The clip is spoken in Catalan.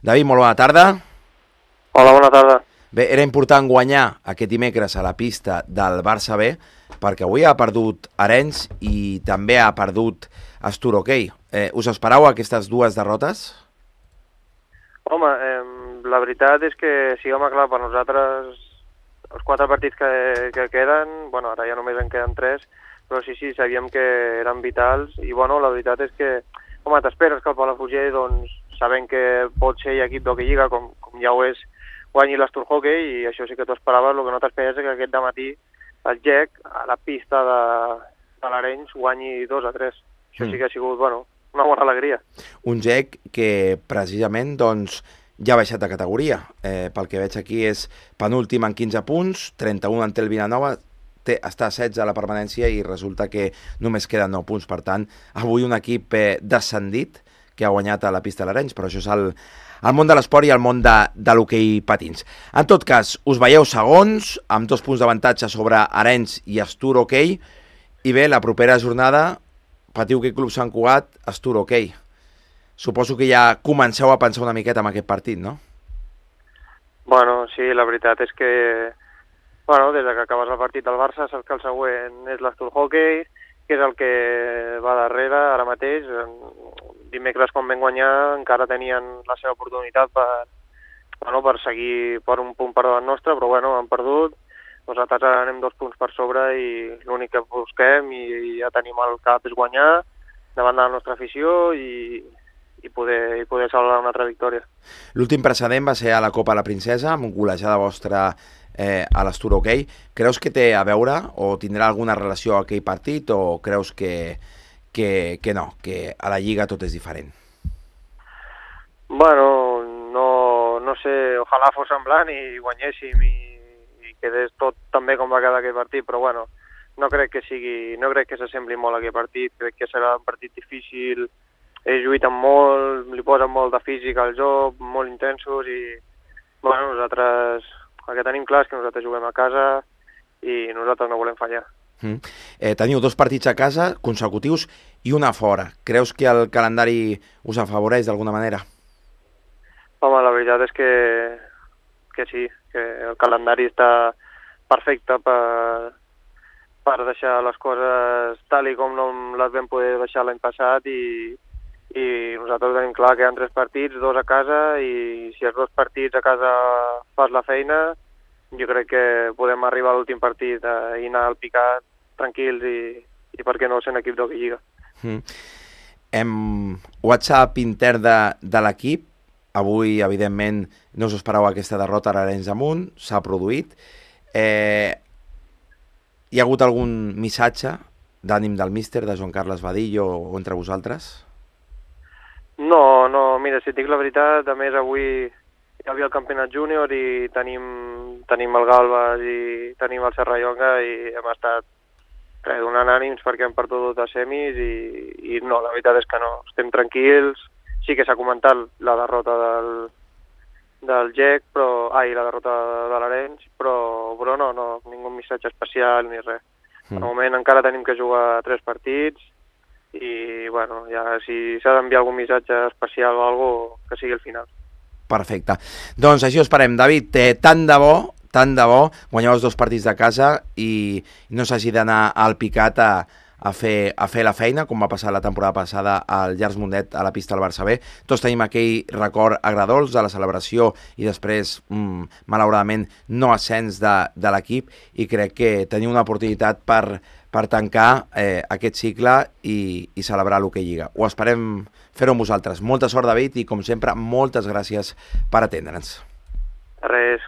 David, molt bona tarda. Hola, bona tarda. Bé, era important guanyar aquest dimecres a la pista del Barça B, perquè avui ha perdut Arenys i també ha perdut Astur Hockey. Us esperau aquestes dues derrotes? Home, la veritat és que, siguem clar, per nosaltres els 4 partits que queden, bueno, ara ja només en queden 3, però sí, sabíem que eren vitals i, bueno, la veritat és que, home, t'esperes que el Palafrugell, doncs, sabent que pot ser equip d'hoquei lliga, com ja ho és, guanyi l'Astur Hockey, i això sí que t'ho esperaves. El que no t'esperes és que aquest dematí el GEC, a la pista de l'Arenys, guanyi 2-3. Això sí que ha sigut, bueno, una bona alegria. Un GEC que precisament, doncs, ja ha baixat de categoria. Pel que veig aquí és penúltim en 15 punts, 31 en té el Vilanova, està a 16 a la permanència i resulta que només queden 9 punts. Per tant, avui un equip descendit que ha guanyat a la pista de l'Arenys, però això és el món de l'esport i el món de l'hoquei patins. En tot cas, us veieu segons, amb 2 punts d'avantatge sobre Arenys i Astur Hockey, i bé, la propera jornada patiu que Club Sant Cugat, Astur Hockey. Suposo que ja comenceu a pensar una miqueta en aquest partit, no? Bueno, sí, la veritat és que, bueno, des que acabes el partit del Barça saps que el següent és l'Astur Hockey, que és el que va darrere ara mateix. Dimecres, quan vam guanyar, encara tenien la seva oportunitat per seguir per un punt per davant nostre, però bueno, han perdut. Nosaltres ara anem 2 punts per sobre i l'únic que busquem i ja tenim al cap és guanyar davant de la nostra afició i poder celebrar una altra victòria. L'últim precedent va ser a la Copa de la Princesa, amb golejada vostra a l'Astur Hockey. Creus que té a veure o tindrà alguna relació a aquell partit o creus que no, que a la Lliga tot és diferent? Bueno, no sé, ojalà fos semblant i guanyéssim i quedés tot també com va quedar aquell partit, però bueno, no crec que s'assembli molt a aquell partit. Crec que serà un partit difícil, ells lluiten molt, li posen molt de físic al joc, molt intensos i bueno, nosaltres el que tenim clar és que nosaltres juguem a casa i nosaltres no volem fallar. Teniu 2 partits a casa consecutius i una a fora. Creus que el calendari us afavoreix d'alguna manera? Home, la veritat és que sí, que el calendari està perfecte per deixar les coses tal i com no les vam poder deixar l'any passat i nosaltres tenim clar que hi ha 3 partits, 2 a casa, i si els 2 partits a casa fas la feina, jo crec que podem arribar a l'últim partit i anar al picat tranquils i per què no sent equip d'hoquei lliga. WhatsApp intern de l'equip, avui evidentment no us espereu aquesta derrota a l'Arenys de Munt, s'ha produït. Hi ha hagut algun missatge d'ànim del míster, de Joan Carles Badillo o entre vosaltres? No, mira, si et dic la veritat, a més avui hi havia el campionat júnior i tenim el Galbas i tenim el Serrallonga i hem estat donant ànims perquè hem perdut a semis i no, la veritat és que no, estem tranquils. Sí que s'ha comentat la derrota del GEC, la derrota de l'Arenys, però no, ningú missatge especial ni res. Al moment encara tenim que jugar 3 partits i, bueno, ja si s'ha d'enviar algun missatge especial o alguna cosa, que sigui al final. Perfecte. Doncs així ho esperem. David, tant de bo, guanyeu els 2 partits de casa i no s'hagi d'anar al picat a fer la feina, com va passar la temporada passada al Llars Mundet a la pista del Barça B. Tots tenim aquell record agradolç de la celebració i després, malauradament, no ascens de l'equip, i crec que teniu una oportunitat per tancar aquest cicle i celebrar l'hoquei lliga. Ho esperem fer-ho amb vosaltres. Molta sort, David, i com sempre, moltes gràcies per atendre'ns. Res.